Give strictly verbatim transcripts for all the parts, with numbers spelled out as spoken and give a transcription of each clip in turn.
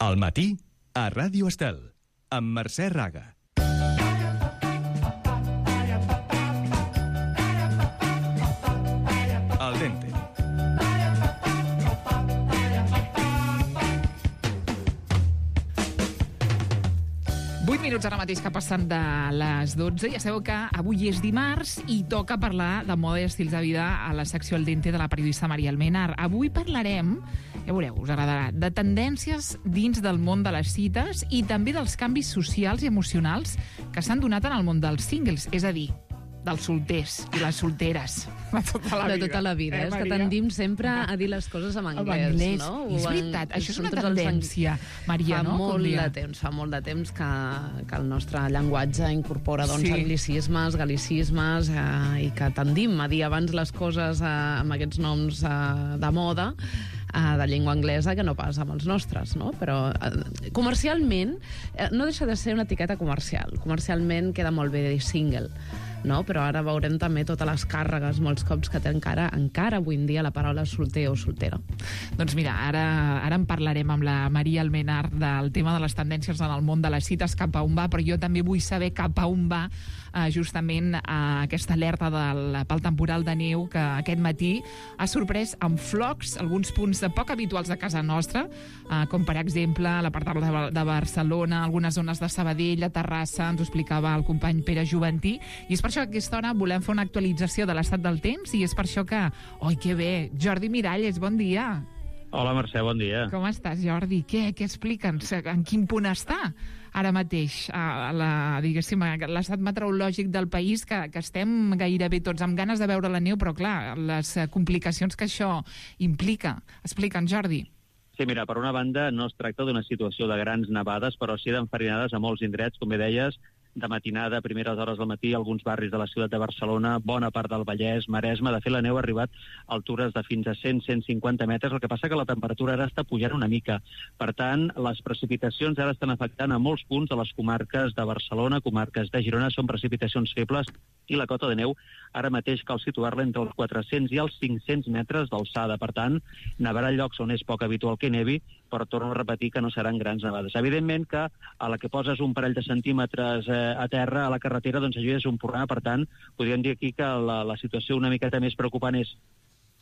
Al matí, a Ràdio Estel, amb Mercè Raga. Al dente. vuit minuts ara mateix que passen de les dotze. Ja sabeu que avui és dimarts i toca parlar de moda i estils de vida a la secció Al dente de la periodista Maria Almenar. Avui parlarem, ja veureu, us agradarà, de tendències dins del món de les cites i també dels canvis socials i emocionals que s'han donat en el món dels singles, és a dir, dels solters i les solteres de tota la vida. De tota la vida. Eh, és que tendim sempre a dir les coses en anglès, anglès. no? És veritat, això és una tendència, Maria, fa no? Molt de temps, fa molt de temps que, que el nostre llenguatge incorpora doncs, sí. anglicismes, galicismes, eh, i que tendim a dir abans les coses eh, amb aquests noms eh, de moda, eh, de llengua anglesa, que no pas amb els nostres, no? Però eh, comercialment eh, no deixa de ser una etiqueta comercial. Comercialment queda molt bé dir single, no? Però ara veurem també totes les càrregues, molts cops, que té encara, encara avui en dia la paraula solter o soltera. Doncs mira, ara, ara en parlarem amb la Maria Almenar del tema de les tendències en el món de les cites, cap a on va, però jo també vull saber cap a on va eh, justament eh, aquesta alerta del, pel temporal de neu que aquest matí ha sorprès amb flocs alguns punts de poc habituals de casa nostra, eh, com per exemple la part de, de Barcelona, algunes zones de Sabadell, a Terrassa, ens ho explicava el company Pere Juventí, i és per això que a aquesta hora volem fer una actualització de l'estat del temps i és per això que... Oi, que bé! Jordi Miralles, bon dia! Hola, Mercè, bon dia. Com estàs, Jordi? Què, què explica'ns? En quin punt està ara mateix a la, diguéssim, l'estat meteorològic del país, que, que estem gairebé tots amb ganes de veure la neu, però clar, les complicacions que això implica. Explica'ns, Jordi. Sí, mira, per una banda no es tracta d'una situació de grans nevades, però sí d'enfarinades a molts indrets, com bé deies, de matinada, a primeres hores del matí, alguns barris de la ciutat de Barcelona, bona part del Vallès, Maresme. De fet, la neu ha arribat a altures de fins a cent a cent cinquanta metres, el que passa que la temperatura ara està pujant una mica. Per tant, les precipitacions ara estan afectant a molts punts de les comarques de Barcelona, comarques de Girona, són precipitacions febles, i la cota de neu ara mateix cal situar-la entre els quatre-cents i els cinc-cents metres d'alçada. Per tant, nevarà llocs on és poc habitual que nevi, però torno a repetir que no seran grans nevades. Evidentment que a la que poses un parell de centímetres eh, a terra, a la carretera, doncs això és un problema. Per tant, podríem dir aquí que la, la situació una miqueta més preocupant és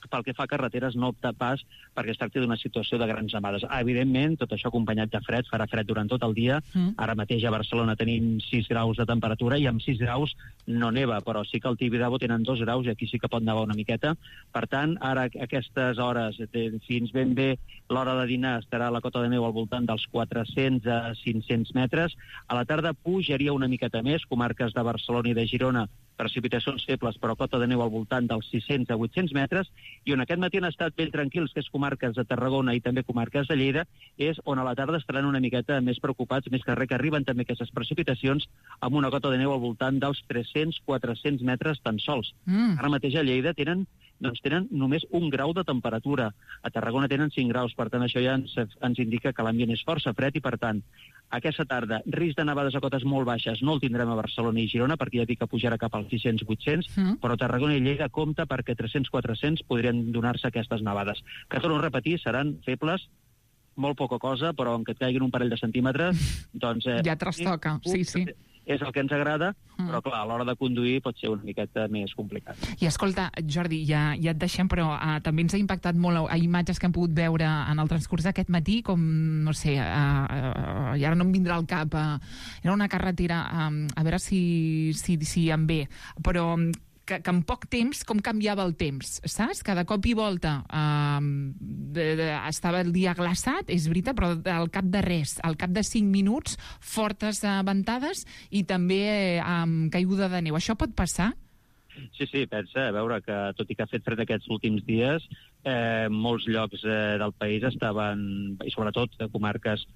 pel que fa a carreteres, no opta pas perquè es tracti d'una situació de grans nevades. Evidentment, tot això acompanyat de fred, farà fred durant tot el dia. Mm. Ara mateix a Barcelona tenim sis graus de temperatura i amb sis graus no neva, però sí que al Tibidabo tenen dos graus i aquí sí que pot nevar una miqueta. Per tant, ara a aquestes hores, fins ben bé l'hora de dinar, estarà la cota de neu al voltant dels quatre-cents a cinc-cents metres. A la tarda pujaria una miqueta més, comarques de Barcelona i de Girona, precipitacions febles, però cota de neu al voltant dels sis-cents a vuit-cents metres, i on aquest matí han estat ben tranquils, que és comarques de Tarragona i també comarques de Lleida, és on a la tarda estaran una miqueta més preocupats, més que res que arriben també aquestes precipitacions amb una cota de neu al voltant dels tres-cents a quatre-cents metres tan sols. Mm. Ara mateix a Lleida tenen doncs tenen només un grau de temperatura. A Tarragona tenen cinc graus, per tant això ja ens, ens indica que l'ambient és força fred i per tant aquesta tarda risc de nevades a cotes molt baixes no el tindrem a Barcelona i Girona perquè ja dic que pujarà cap als sis-cents a vuit-cents, mm. però Tarragona i Lleida compta perquè tres-cents a quatre-cents podrien donar-se aquestes nevades, que torno a repetir, seran febles, molt poca cosa, però en què et caiguin un parell de centímetres, doncs... Eh, ja trastoca, sí, sí. És el que ens agrada, mm. però clar, a l'hora de conduir pot ser una miqueta més complicat. I escolta, Jordi, ja, ja et deixem, però uh, també ens ha impactat molt a imatges que hem pogut veure en el transcurs d'aquest matí, com, no sé, uh, uh, i ara no em vindrà al cap, uh, era una carretera, um, a veure si, si, si em ve, però... Que, que en poc temps, com canviava el temps, saps? Cada cop i volta eh, de, de, estava el dia glaçat, és veritat, però al cap de res, al cap de cinc minuts, fortes eh, ventades i també eh, amb caiguda de neu. Això pot passar? Sí, sí, pensa, a veure que tot i que ha fet fred aquests últims dies, eh, molts llocs eh, del país estaven, i sobretot de comarques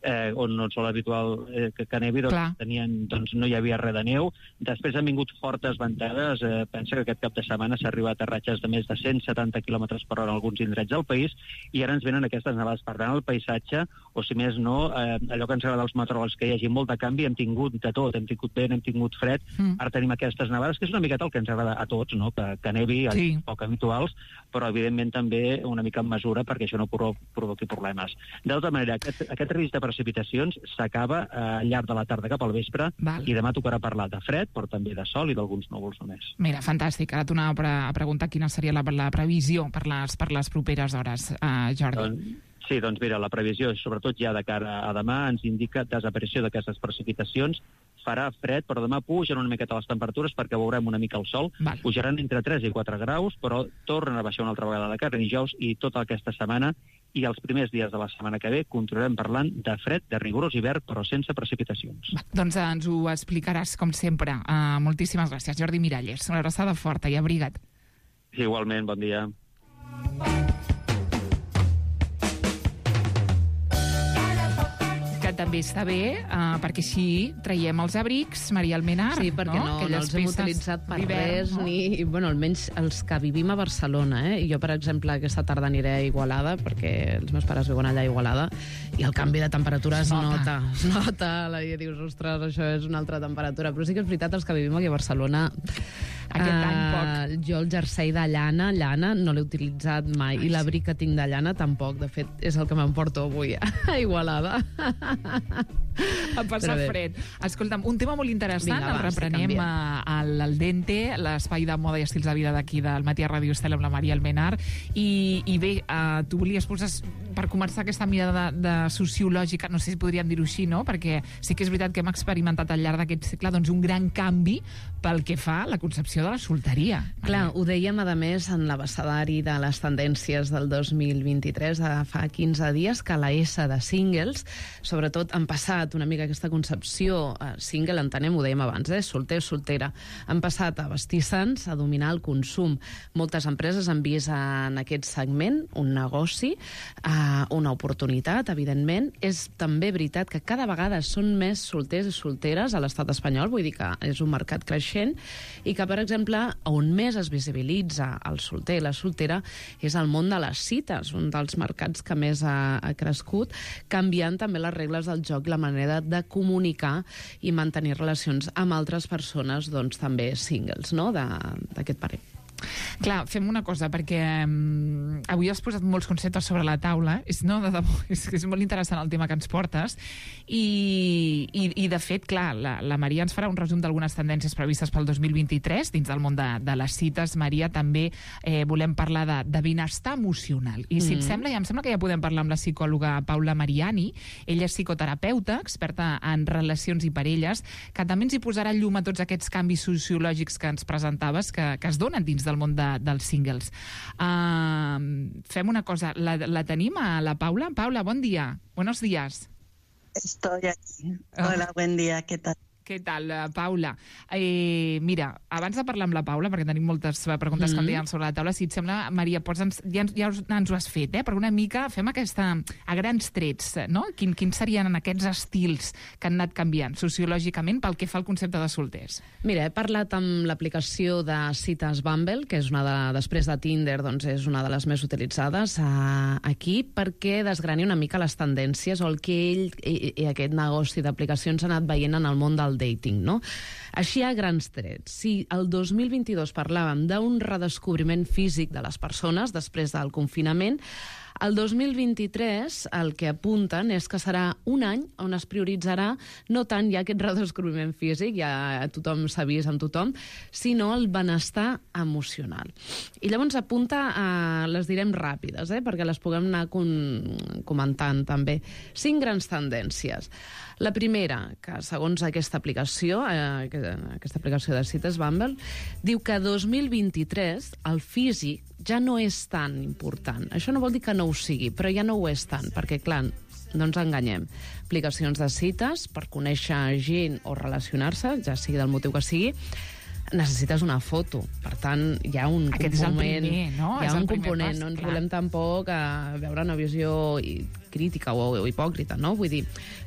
eh, on no és habitual eh, que, que nevi, doncs, tenien, doncs no hi havia res de neu. Després han vingut fortes ventades, eh, pensa que aquest cap de setmana s'ha arribat a ratxes de més de cent setanta quilòmetres per hora en alguns indrets del país, i ara ens venen aquestes nevades. Per tant, el paisatge, o si més no, eh, allò que ens agrada als meteoròlegs, que hi hagi molt de canvi, hem tingut de tot, hem tingut vent, hem tingut fred, mm. ara tenim aquestes nevades, que és una miqueta el que ens agrada a tots, no? que, que nevi, sí. poc habituals, però evidentment també una mica en mesura perquè això no provoqui problemes. D'altra manera, aquest, aquest risc de precipitacions s'acaba eh, al llarg de la tarda cap al vespre. Val. I demà tocarà parlar de fred, però també de sol i d'alguns núvols només. Mira, fantàstic. Ara t'anava a, pre a preguntar quina seria la, la previsió per les, per les properes hores, uh, Jordi. Doncs, sí, doncs mira, la previsió, sobretot ja de cara a demà, ens indica desaparició d'aquestes precipitacions. Farà fred, però demà pugen una miqueta les temperatures perquè veurem una mica el sol. Val. Pujaran entre tres i quatre graus, però tornen a baixar una altra vegada de cara a dijous, i tota aquesta setmana i els primers dies de la setmana que ve continuarem parlant de fred, de rigorós hivern, però sense precipitacions. Va, doncs ens ho explicaràs, com sempre. Uh, moltíssimes gràcies, Jordi Miralles. Una abraçada forta i abriga't. Igualment, bon dia. També està bé, uh, perquè així traiem els abrics, Maria Almenar. Sí, perquè no, no, no els hem utilitzat per res, no? ni, bueno, almenys els que vivim a Barcelona, eh? Jo, per exemple, aquesta tarda aniré a Igualada, perquè els meus pares viuen allà a Igualada, i el canvi de temperatura es nota. Es nota, la dia dius, ostres, això és una altra temperatura. Però sí que és veritat, els que vivim aquí a Barcelona... Aquest uh, any poc. Jo el jersei de llana, llana, no l'he utilitzat mai. Ai, I l'abric que tinc de llana tampoc. De fet, és el que m'emporto avui a Igualada. A passar fred. Escolta'm, un tema molt interessant, vinga, el va, reprenem al, al Dente, l'espai de moda i estils de vida d'aquí del Matí a Ràdio Estel amb la Maria Almenar. I, i bé, uh, tu volies posar, per començar aquesta mirada de, de sociològica, no sé si podríem dir-ho així, no? Perquè sí que és veritat que hem experimentat al llarg d'aquest segle doncs, un gran canvi pel que fa a la concepció de la solteria. Clar, ho dèiem, a més, en l'abecedari de les tendències del dos mil vint-i-tres, de fa quinze dies, que la S de singles, sobretot han passat una mica aquesta concepció, eh, single, entenem, ho dèiem abans, eh, solter, soltera, han passat a vestir-se'ns, a dominar el consum. Moltes empreses han vist en aquest segment un negoci, eh, una oportunitat, evidentment. És també veritat que cada vegada són més solters i solteres a l'estat espanyol, vull dir que és un mercat creixent, i que, per exemple, on més es visibilitza el solter i la soltera és el món de les cites, un dels mercats que més ha, ha crescut, canviant també les regles del joc i la manera de comunicar i mantenir relacions amb altres persones, doncs també singles, no?, d'aquest parer. Clar, fem una cosa, perquè um, avui has posat molts conceptes sobre la taula, és, no, de debò, és, és molt interessant el tema que ens portes, i, i, i de fet, clar, la, la Maria ens farà un resum d'algunes tendències previstes pel dos mil vint-i-tres dins del món de, de les cites. Maria, també eh, volem parlar de, de benestar emocional, i si mm. et sembla, ja em sembla que ja podem parlar amb la psicòloga Paula Mariani. Ella és psicoterapeuta, experta en relacions i parelles, que també ens hi posarà llum a tots aquests canvis sociològics que ens presentaves, que, que es donen dins del món de, dels singles. Uh, fem una cosa, la, la tenim a la Paula? Paula, bon dia. Buenos días. Estoy aquí. Hola, buen día, ¿qué tal? Què tal, Paula? Eh, mira, abans de parlar amb la Paula, perquè tenim moltes preguntes mm-hmm. que em deien sobre la taula, si et sembla, Maria, pots ens, ja, ja ens ho has fet, eh? Però una mica fem aquesta, a grans trets, no? Quin, quins serien aquests estils que han anat canviant sociològicament pel que fa al concepte de solters? Mira, he parlat amb l'aplicació de cites Bumble, que és una de, després de Tinder, doncs és una de les més utilitzades uh, aquí, perquè desgrani una mica les tendències o el que ell i, i aquest negoci d'aplicacions ha anat veient en el món del dating, no? Així a grans trets. Si el dos mil vint-i-dos parlàvem d'un redescobriment físic de les persones després del confinament, el dos mil vint-i-tres el que apunten és que serà un any on es prioritzarà no tant ja aquest redescobriment físic, ja tothom s'ha vist amb tothom, sinó el benestar emocional. I llavors apunta, a, les direm ràpides, eh, perquè les puguem anar con, comentant també. Cinc grans tendències. La primera, que segons aquesta aplicació, eh, aquesta aplicació de cites Bumble, diu que dos mil vint-i-tres el físic ja no és tan important. Això no vol dir que no ho sigui, però ja no ho és tant, perquè, clar, no ens enganyem. Aplicacions de cites per conèixer gent o relacionar-se, ja sigui del motiu que sigui, necessites una foto. Per tant, hi ha un Aquest component... és el primer, no? Hi És ha el un primer component, pas, no ens clar. volem tampoc a veure una visió crítica o, o hipòcrita, no? Vull dir,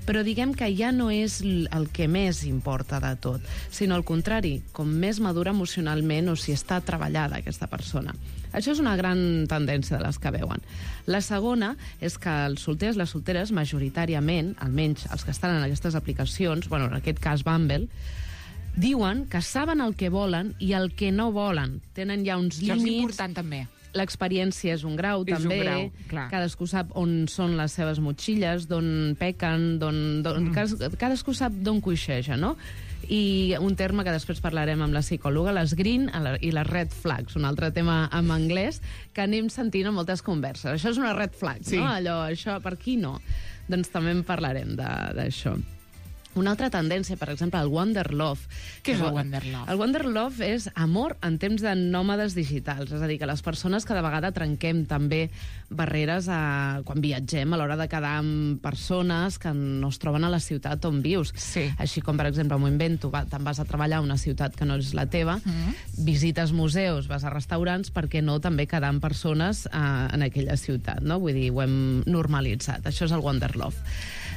però diguem que ja no és el que més importa de tot, sinó al contrari, com més madura emocionalment o si està treballada aquesta persona. Això és una gran tendència de les que veuen. La segona és que els solters, les solteres, majoritàriament, almenys els que estan en aquestes aplicacions, bueno, en aquest cas Bumble, diuen que saben el que volen i el que no volen. Tenen ja uns Això és límits... important, també. L'experiència és un grau, És un també. grau, clar. Cadascú sap on són les seves motxilles, d'on pequen, d'on... d'on- Mm. cas- Cadascú sap d'on coixeja, no? I un terme que després parlarem amb la psicòloga, les green i les red flags, un altre tema en anglès que anem sentint en moltes converses. Això és una red flag, Sí. no? Allò, això, per qui no? Doncs també en parlarem de- d'això. Una altra tendència, per exemple, el Wonder Love. Què és el Wonder Love? El Wonder Love és amor en temps de nòmades digitals, és a dir, que les persones cada vegada trenquem també barreres a, quan viatgem a l'hora de quedar amb persones que no es troben a la ciutat on vius. Sí. Així com, per exemple, m'ho invento, va, te'n vas a treballar a una ciutat que no és la teva, Mm. visites museus, vas a restaurants, per què no també quedar amb persones eh, en aquella ciutat, no? Vull dir, ho hem normalitzat. Això és el Wonder Love.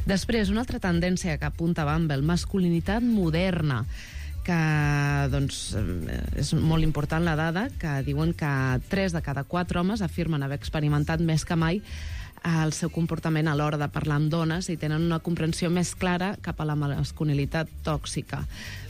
Després, una altra tendència que apunta Bumble, masculinitat moderna, que doncs, és molt important la dada, que diuen que tres de cada quatre homes afirmen haver experimentat més que mai el seu comportament a l'hora de parlar amb dones i tenen una comprensió més clara cap a la masculinitat tòxica.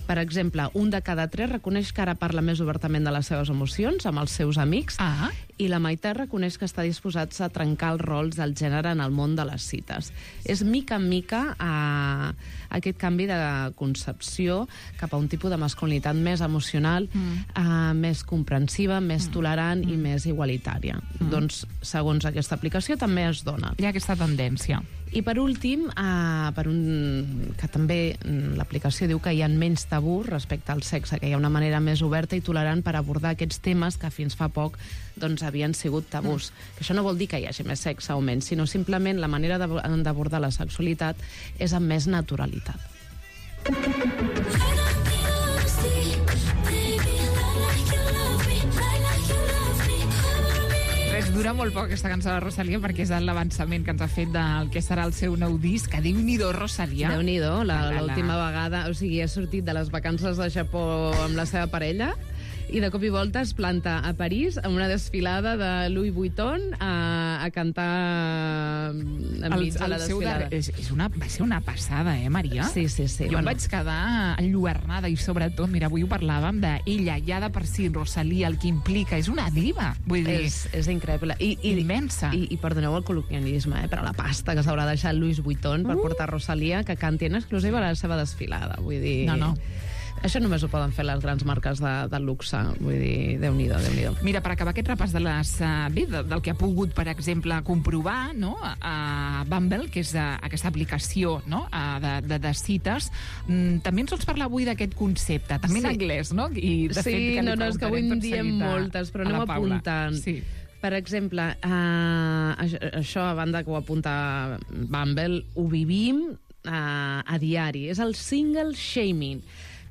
Per exemple, un de cada tres reconeix que ara parla més obertament de les seves emocions amb els seus amics Ah. i la meitat reconeix que està disposats a trencar els rols del gènere en el món de les cites. És mica en mica a aquest canvi de concepció cap a un tipus de masculinitat més emocional, Mm. a, més comprensiva, més mm. tolerant mm. i més igualitària. Mm. Doncs, segons aquesta aplicació, també es dona. Hi ha aquesta tendència. I per últim, eh, per un, que també mm, l'aplicació diu que hi ha menys tabús respecte al sexe, que hi ha una manera més oberta i tolerant per abordar aquests temes que fins fa poc doncs, havien sigut tabús. Mm. Que això no vol dir que hi hagi més sexe o menys, sinó simplement la manera d'ab- d'abordar la sexualitat és amb més naturalitat. Res, dura molt poc aquesta cançó de Rosalía perquè és l'avançament que ens ha fet del que serà el seu nou disc. Que Déu-n'hi-do, Rosalía. Déu-n'hi-do, la- La, la, la. l'última vegada, o sigui, ha sortit de les vacances de Japó amb la seva parella i de cop i volta es planta a París amb una desfilada de Louis Vuitton a, a cantar enmig de la seu desfilada. de... és, és una, va ser una passada, eh, Maria? Sí, sí, sí. Jo bueno. em vaig quedar enlluernada i sobretot, mira, avui ho parlàvem d'ella, ja de per si, Rosalía, el que implica, és una diva, vull dir, És, és increïble. I, i, immensa. I, I perdoneu el col·loquialisme, eh, però la pasta que s'haurà deixat Louis Vuitton per Uh. portar Rosalía, que canti en exclusiva a la seva desfilada. Vull dir... No, no. Això només ho poden fer les grans marques de, de luxe. Vull dir, Déu-n'hi-do, Déu-n'hi-do. Mira, per acabar aquest repàs de les, uh, bé, de, del que ha pogut, per exemple, comprovar, no?, a Bumble, que és uh, aquesta aplicació, no?, uh, de, de, de cites, mm, també ens vols parlar avui d'aquest concepte, també Sí. en anglès, no? I, de Sí, fet, que li no, no, és que avui en preguntarem tot diem seguit a- moltes, però a la anem Paula. apuntant. Sí. Per exemple, uh, això, això, a banda que ho apunta Bumble, ho vivim uh, a diari. És el single shaming.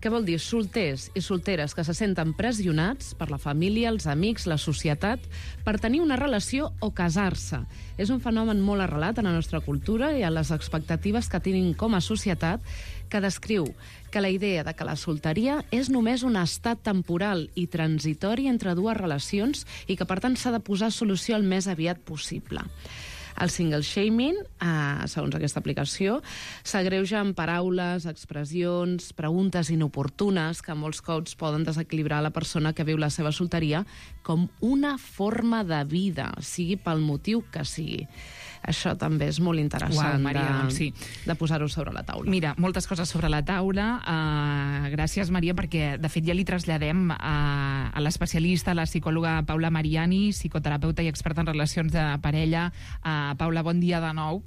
Què vol dir? Solters i solteres que se senten pressionats per la família, els amics, la societat, per tenir una relació o casar-se. És un fenomen molt arrelat en la nostra cultura i a les expectatives que tenim com a societat, que descriu que la idea de que la solteria és només un estat temporal i transitori entre dues relacions i que, per tant, s'ha de posar solució el més aviat possible. El single shaming, eh, segons aquesta aplicació, s'agreuja amb paraules, expressions, preguntes inoportunes que molts cops poden desequilibrar la persona que viu la seva solteria com una forma de vida, sigui pel motiu que sigui. Això també és molt interessant. Uau, Maria, de, doncs sí. de posar-ho sobre la taula. Mira, moltes coses sobre la taula. Uh, gràcies, Maria, perquè, de fet, ja li traslladem a, a l'especialista, la psicòloga Paula Mariani, psicoterapeuta i experta en relacions de parella. Uh, Paula, bon dia de nou.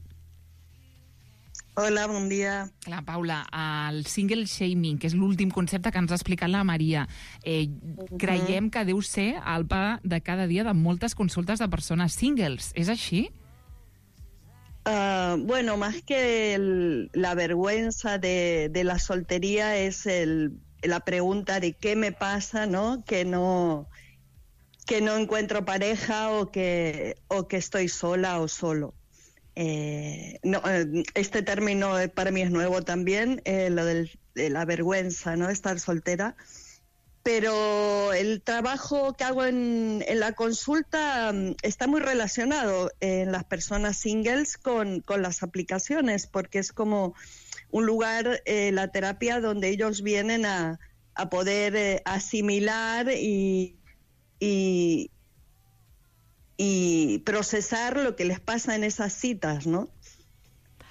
Hola, bon dia. Clar, Paula, el single shaming, que és l'últim concepte que ens ha explicat la Maria, eh, creiem que deu ser el pa de cada dia de moltes consultes de persones singles. És així? Uh, bueno, más que el- la vergüenza de, de la soltería es el, la pregunta de qué me pasa, ¿no? Que no, que no encuentro pareja o que, o que estoy sola o solo. Eh, no, este término para mí es nuevo también, eh, lo del, de la vergüenza, ¿no? Estar soltera. Pero el trabajo que hago en, en la consulta um, está muy relacionado en las personas singles con, con las aplicaciones, porque es como un lugar, eh, la terapia, donde ellos vienen a, a poder eh, asimilar y, y, y procesar lo que les pasa en esas citas, ¿no?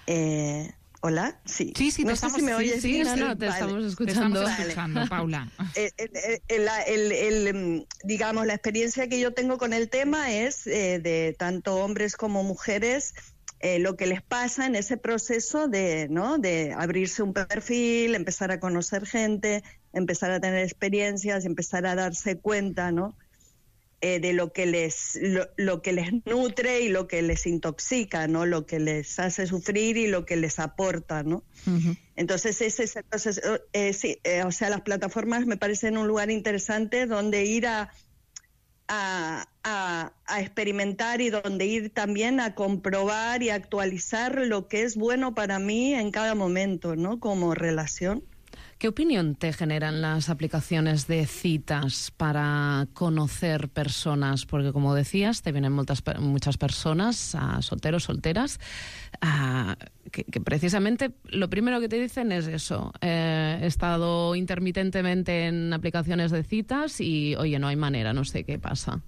Eh, ¿Hola? Sí. Sí, sí, te no estamos, sé si me sí, oyes sí, bien. No, no, te Vale. estamos escuchando. Te estamos escuchando, Paula. El, el, el, el, el, digamos, la experiencia que yo tengo con el tema es eh, de tanto hombres como mujeres, eh, lo que les pasa en ese proceso de, ¿no? de abrirse un perfil, empezar a conocer gente, empezar a tener experiencias, empezar a darse cuenta, ¿no? Eh, de lo que les lo, lo que les nutre y lo que les intoxica, ¿no? Lo que les hace sufrir y lo que les aporta, ¿no? Uh-huh. Entonces ese es el proceso. Eh, sí, eh, o sea, las plataformas me parecen un lugar interesante donde ir a a, a a experimentar y donde ir también a comprobar y actualizar lo que es bueno para mí en cada momento, ¿no? Como relación. ¿Qué opinión te generan las aplicaciones de citas para conocer personas? Porque, como decías, te vienen muchas, muchas personas, uh, solteros, solteras, uh, que, que precisamente lo primero que te dicen es eso. Eh, he estado intermitentemente en aplicaciones de citas y, oye, no hay manera, no sé qué pasa.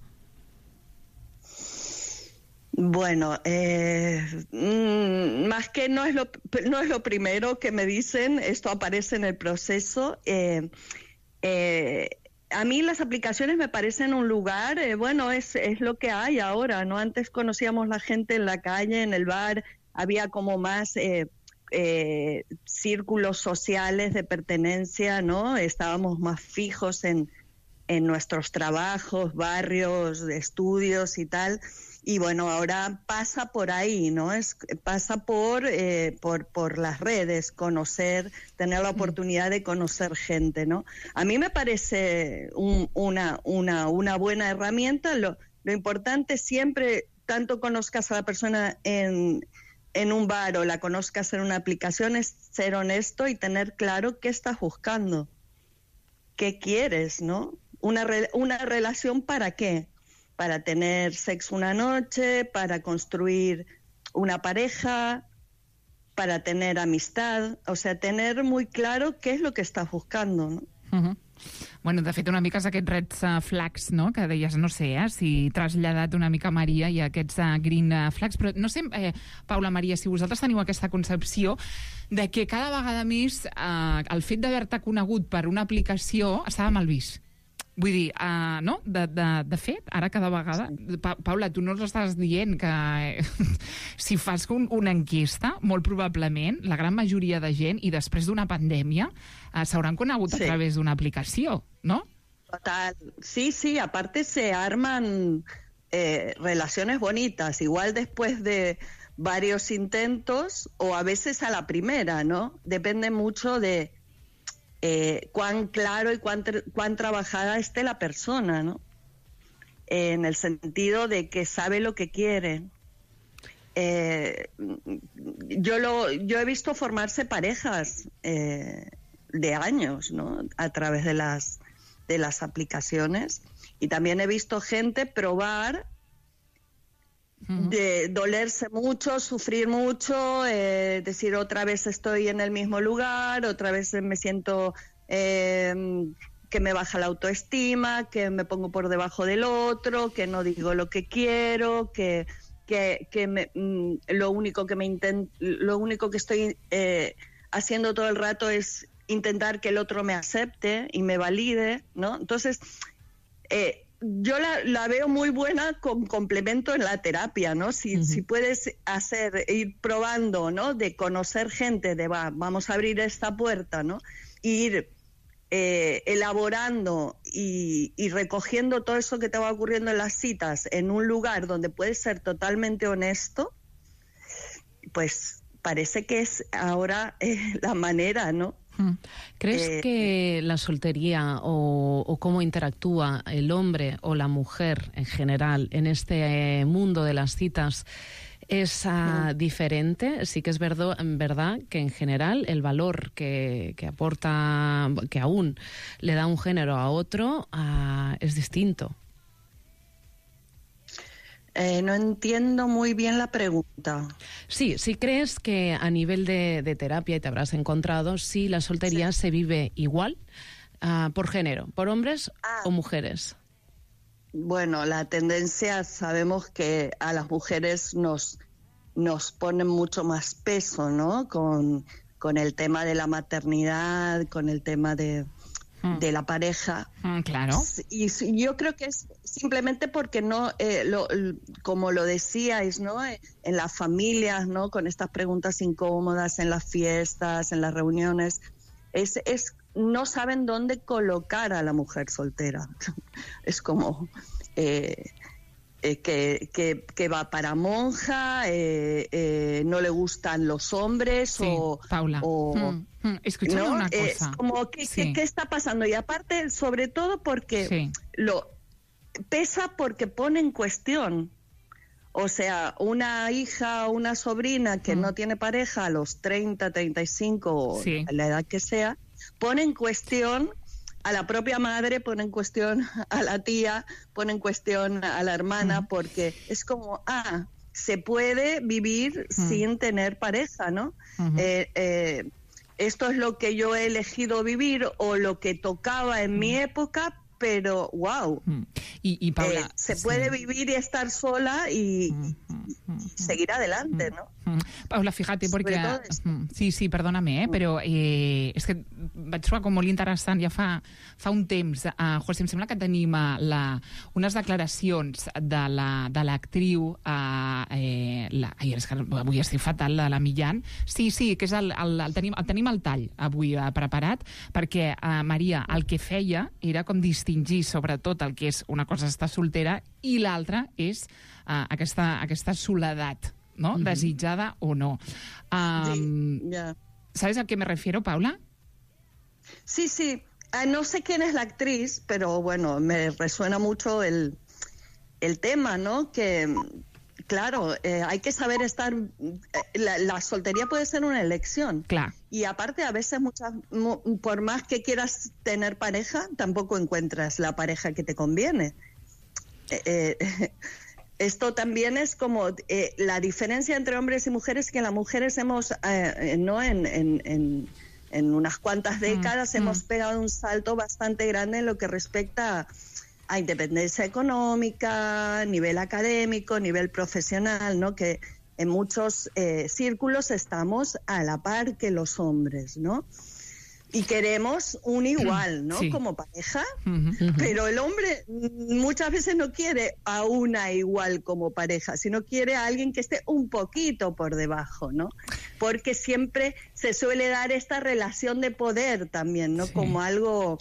Bueno, eh, mmm, más que no es lo no es lo primero que me dicen, esto aparece en el proceso. Eh, eh, a mí las aplicaciones me parecen un lugar, eh, bueno, es es lo que hay ahora, ¿no? Antes conocíamos la gente en la calle, en el bar, había como más eh, eh, círculos sociales de pertenencia, ¿no? Estábamos más fijos en en nuestros trabajos, barrios, estudios y tal. Y bueno, ahora pasa por ahí, ¿no? Es, pasa por, eh, por, por las redes, conocer, tener la oportunidad de conocer gente, ¿no? A mí me parece un, una, una, una buena herramienta. Lo, lo importante siempre, tanto conozcas a la persona en, en un bar o la conozcas en una aplicación, es ser honesto y tener claro qué estás buscando, qué quieres, ¿no? Una, re, una relación ¿para qué? Para tener sexo una noche, para construir una pareja, para tener amistad, o sea, tener muy claro què és lo que estàs buscando, no? Uh-huh. Bueno, de fet, una mica és aquests reds uh, flags, no?, que deies, no sé, eh, si traslladat una mica Maria i aquests uh, green uh, flags, però no sé, eh, Paula, Maria, si vosaltres teniu aquesta concepció de que cada vegada més eh, el fet d'haver-te conegut per una aplicació estava mal vist. Vull dir, uh, no? De, de, de fet, ara cada vegada... Pa Paula, tu no ens estàs dient que eh, si fas un, una enquesta, molt probablement, la gran majoria de gent, i després d'una pandèmia, uh, s'hauran conegut sí. a través d'una aplicació, ¿no? Total. Sí, sí, aparte se arman eh, relaciones bonitas, igual después de varios intentos, o a veces a la primera, ¿no? Depende mucho de... Eh, cuán claro y cuán, cuán trabajada esté la persona, ¿no? Eh, en el sentido de que sabe lo que quiere. Eh, yo lo, yo he visto formarse parejas eh, de años, ¿no? A través de las de las aplicaciones, y también he visto gente probar de dolerse mucho, sufrir mucho, eh, decir otra vez estoy en el mismo lugar, otra vez me siento eh, que me baja la autoestima, que me pongo por debajo del otro, que no digo lo que quiero, que que, que me, mm, lo único que me intent, lo único que estoy eh, haciendo todo el rato es intentar que el otro me acepte y me valide, ¿no? Entonces eh, yo la, la veo muy buena con complemento en la terapia, ¿no? Si, uh-huh. si puedes hacer, ir probando, ¿no? De conocer gente, de va, vamos a abrir esta puerta, ¿no? Ir eh, elaborando y, y recogiendo todo eso que te va ocurriendo en las citas en un lugar donde puedes ser totalmente honesto, pues parece que es ahora eh, la manera, ¿no? Mm. ¿Crees eh, que la soltería o, o cómo interactúa el hombre o la mujer en general en este mundo de las citas es uh, diferente? Sí que es verdad, verdad que en general el valor que, que aporta, que aún le da un género a otro, uh, es distinto. Eh, no entiendo muy bien la pregunta. Sí, si crees que a nivel de, de terapia, y te habrás encontrado, si la soltería sí. se vive igual uh, por género, por hombres ah. o mujeres. Bueno, la tendencia, sabemos que a las mujeres nos, nos ponen mucho más peso, ¿no? Con, con el tema de la maternidad, con el tema de... de la pareja. Mm, claro. Y yo creo que es simplemente porque no, eh, lo, como lo decíais, ¿no? En las familias, ¿no? Con estas preguntas incómodas, en las fiestas, en las reuniones, es, es no saben dónde colocar a la mujer soltera. Es como... Eh, Eh, que, que, que va para monja, eh, eh, no le gustan los hombres sí, o... Paula, o, mm, mm, escúchame ¿no? una cosa. Es como, ¿qué, sí. ¿qué, ¿qué está pasando? Y aparte, sobre todo porque sí. lo pesa porque pone en cuestión. O sea, una hija o una sobrina que mm. no tiene pareja a los treinta, treinta y cinco, sí. a la edad que sea, pone en cuestión... a la propia madre, pone en cuestión a la tía, pone en cuestión a la hermana, mm. porque es como, ah, se puede vivir mm. sin tener pareja, ¿no? Mm-hmm. eh, eh, esto es lo que yo he elegido vivir o lo que tocaba en mm. mi época, pero wow. Mm. Y, y Paula, eh, se sí. puede vivir y estar sola y, mm, y, mm, y seguir adelante, mm, ¿no? Mm. Paula, fíjate, porque... Sí, sí, perdóname, eh, mm. però eh, és que vaig trobar com molt interessant ja fa, fa un temps. Uh, José, em sembla que tenim uh, la, unes declaracions de l'actriu, la, uh, eh, la, ai, és que avui estic fatal, de la Millán. Sí, sí, que és el, el, el, tenim, el tenim al tall avui uh, preparat, perquè uh, Maria el que feia era com distingir sobretot el que és una cosa estar soltera i l'altra és uh, aquesta, aquesta soledat, ¿no? Uh-huh. Desitjada o no. Um, sí, yeah. ¿Sabes a qué me refiero, Paula? Sí, sí. Uh, no sé quién es la actriz, pero bueno, me resuena mucho el, el tema, ¿no? Que, claro, eh, hay que saber estar... Eh, la, la soltería puede ser una elección. Claro. Y aparte, a veces, muchas, por más que quieras tener pareja, tampoco encuentras la pareja que te conviene. Eh, eh, Esto también es como eh, la diferencia entre hombres y mujeres, que las mujeres hemos, eh, no en, en, en, en unas cuantas décadas, mm, hemos mm. pegado un salto bastante grande en lo que respecta a, a independencia económica, nivel académico, nivel profesional, ¿no? Que en muchos eh, círculos estamos a la par que los hombres, ¿no? Y queremos un igual, ¿no? Sí. Como pareja, uh-huh. pero el hombre muchas veces no quiere a una igual como pareja, sino quiere a alguien que esté un poquito por debajo, ¿no? Porque siempre se suele dar esta relación de poder también, ¿no? Sí. Como algo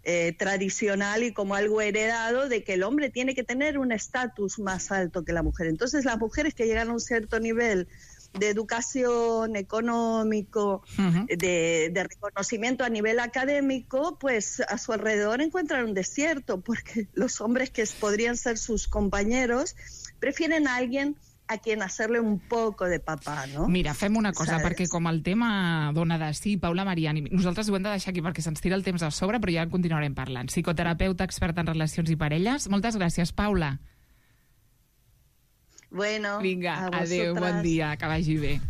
eh, tradicional y como algo heredado de que el hombre tiene que tener un estatus más alto que la mujer. Entonces las mujeres que llegan a un cierto nivel de educación, económico, uh-huh. de, de reconocimiento a nivel académico, pues a su alrededor encuentran un desierto, porque los hombres que podrían ser sus compañeros prefieren a alguien a quien hacerle un poco de papà, no? Mira, fem una cosa, ¿sabes? Perquè com el tema dona de sí, Paula Mariani, nosaltres ho hem de deixar aquí perquè se'ns tira el temps a sobre, però ja en continuarem parlant. Psicoterapeuta, experta en relacions i parelles. Moltes gràcies, Paula. Bueno, vinga, adéu, bon dia, que vagi bé.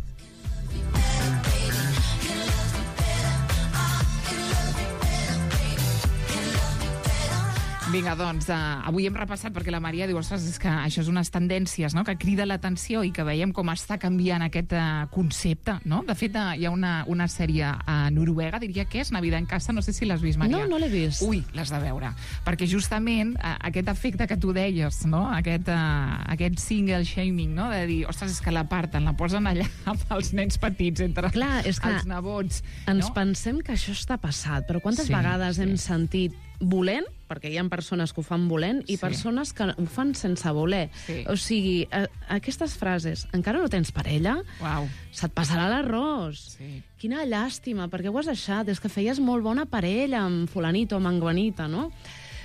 Vinga, doncs, uh, avui hem repassat perquè la Maria diu, ostres, és que això és unes tendències, no?, que crida l'atenció i que veiem com està canviant aquest uh, concepte, no? De fet, uh, hi ha una, una sèrie a uh, Noruega, diria que és Navidad en casa, no sé si l'has vist, Maria. No, no l'he vist. Ui, l'has de veure. Perquè justament uh, aquest efecte que tu deies, no?, aquest, uh, aquest single shaming, no?, de dir, ostres, és que l'aparten, la posen allà amb els nens petits, entre Clar, és que els nebots. Ens no? pensem que això està passat, però quantes sí, vegades sí. hem sentit volent, perquè hi ha persones que ho fan volent, i Sí. persones que ho fan sense voler. Sí. O sigui, a, aquestes frases, encara no tens parella? Uau. Se't passarà l'arròs. Sí. Quina llàstima, perquè ho has deixat? És que feies molt bona parella amb fulanito o amb enguanita, no?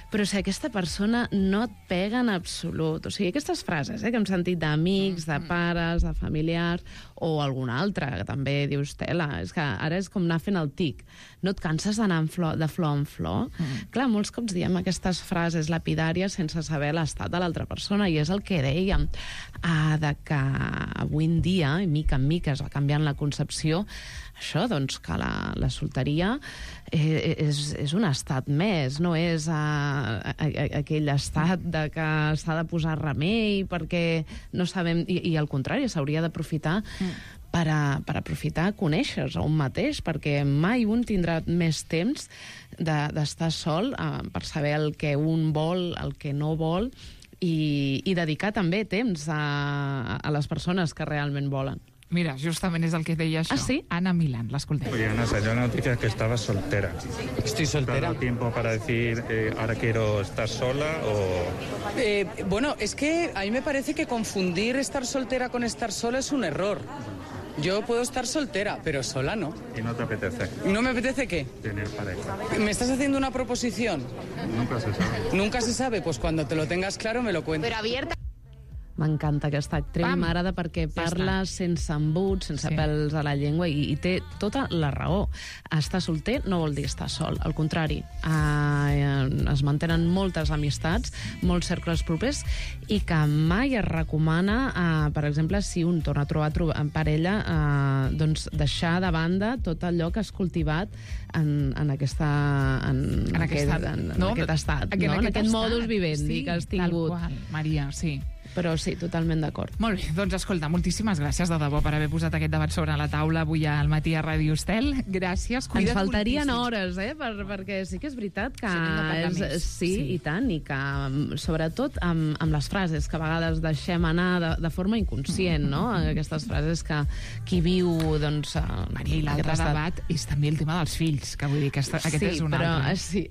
Però si aquesta persona no et pega en absolut, o sigui, aquestes frases eh, que hem sentit d'amics, de pares, de familiars, o alguna altra, que també dius, tela, és que ara és com anar fent el tic. No et canses d'anar en flor, de flor en flor? Mm. Clar, molts cops diem aquestes frases lapidàries sense saber l'estat de l'altra persona, i és el que dèiem, ah, de que avui en dia, i mica en mica es va canviant la concepció, això, doncs, que la, la solteria eh, és, és un estat més, no és a, a, a, aquell estat de que s'ha de posar remei perquè no sabem... I, i al contrari, s'hauria d'aprofitar mm. per, a, per aprofitar a conèixer-se a un mateix, perquè mai un tindrà més temps d'estar de, sol eh, per saber el que un vol, el que no vol, i, i dedicar també temps a, a les persones que realment volen. Mira, justament és el que deia això. Ah, sí? Ana Milán, l'escoltem. Oye, Ana, salió la noticia que estabas soltera. Estoy ¿Te ha soltera. dado tiempo para decir eh, ahora quiero estar sola o...? Eh, bueno, es que a mí me parece que confundir estar soltera con estar sola es un error. Yo puedo estar soltera, pero sola no. ¿Y no te apetece ¿No me apetece qué? tener pareja? ¿Me estás haciendo una proposición? Nunca se sabe. Nunca se sabe, pues cuando te lo tengas claro me lo cuentas. M'encanta aquesta actriu, Pam! m'agrada perquè Ja parla sense embuts, sense Sí. sí. pèls a la llengua, i, i té tota la raó. Estar solter no vol dir estar sol, al contrari. Eh, es mantenen moltes amistats, molts cercles propers, i que mai es recomana, eh, per exemple, si un torna a trobar tro en parella, eh, doncs deixar de banda tot allò que has cultivat en, en, aquesta, en, En aquest, aquest, en, en no? aquest estat, En no? en aquest aquest estat. modus vivendi Sí, que has tingut. Tal qual, Maria, sí. Però sí, totalment d'acord. Molt bé, doncs escolta, moltíssimes gràcies de debò per haver posat aquest debat sobre la taula avui al matí a Ràdio Estel. Gràcies. Ens Cuida't faltarien moltíssim. hores, eh? Per, perquè sí que és veritat que... Sí, n'hem de parlar és, més. sí, Sí. i tant, i que sobretot amb, amb les frases que a vegades deixem anar de, de forma inconscient, no? Aquestes frases que qui viu, doncs... Maria, i l'altre debat és també el tema dels fills, que vull dir que aquesta, aquest sí, és un però, altre. eh, sí,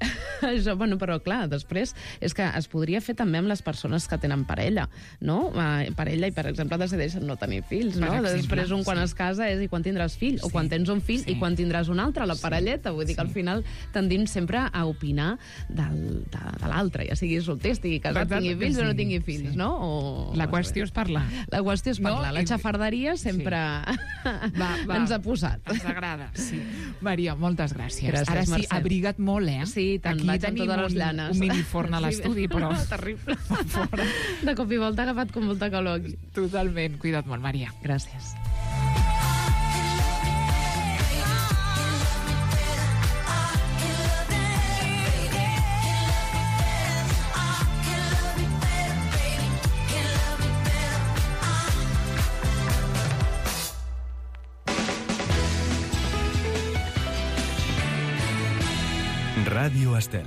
això, bueno, però clar, després és que es podria fer també amb les persones que tenen parella, no? Eh, parella i, per exemple, decideixen no tenir fills, no? Per exemple, Després un quan sí. es casa és i quan tindràs fill, Sí, o quan tens un fill sí. i quan tindràs un altre, la Sí, parelleta. Vull dir que sí. al final tendim sempre a opinar del, de, de l'altre, ja sigui solter, estigui casat, Exacte, tingui fills sí, o no tingui fills, sí. no? O, La qüestió és parlar. La qüestió és parlar. No? La I- xafarderia sempre Va, va. ens ha posat. Ens agrada, sí. Maria, moltes gràcies. Gràcies, Ara sí, Mercè. abriga't molt, eh? Sí, i tant, Aquí vaig amb tenim totes les un, llanes. un miniforn a l'estudi, Sí, però... terrible. Fora. De cop i volta ha agafat com molta calor aquí. Totalment. Cuida't molt, Maria. Gràcies. Ràdio Estel.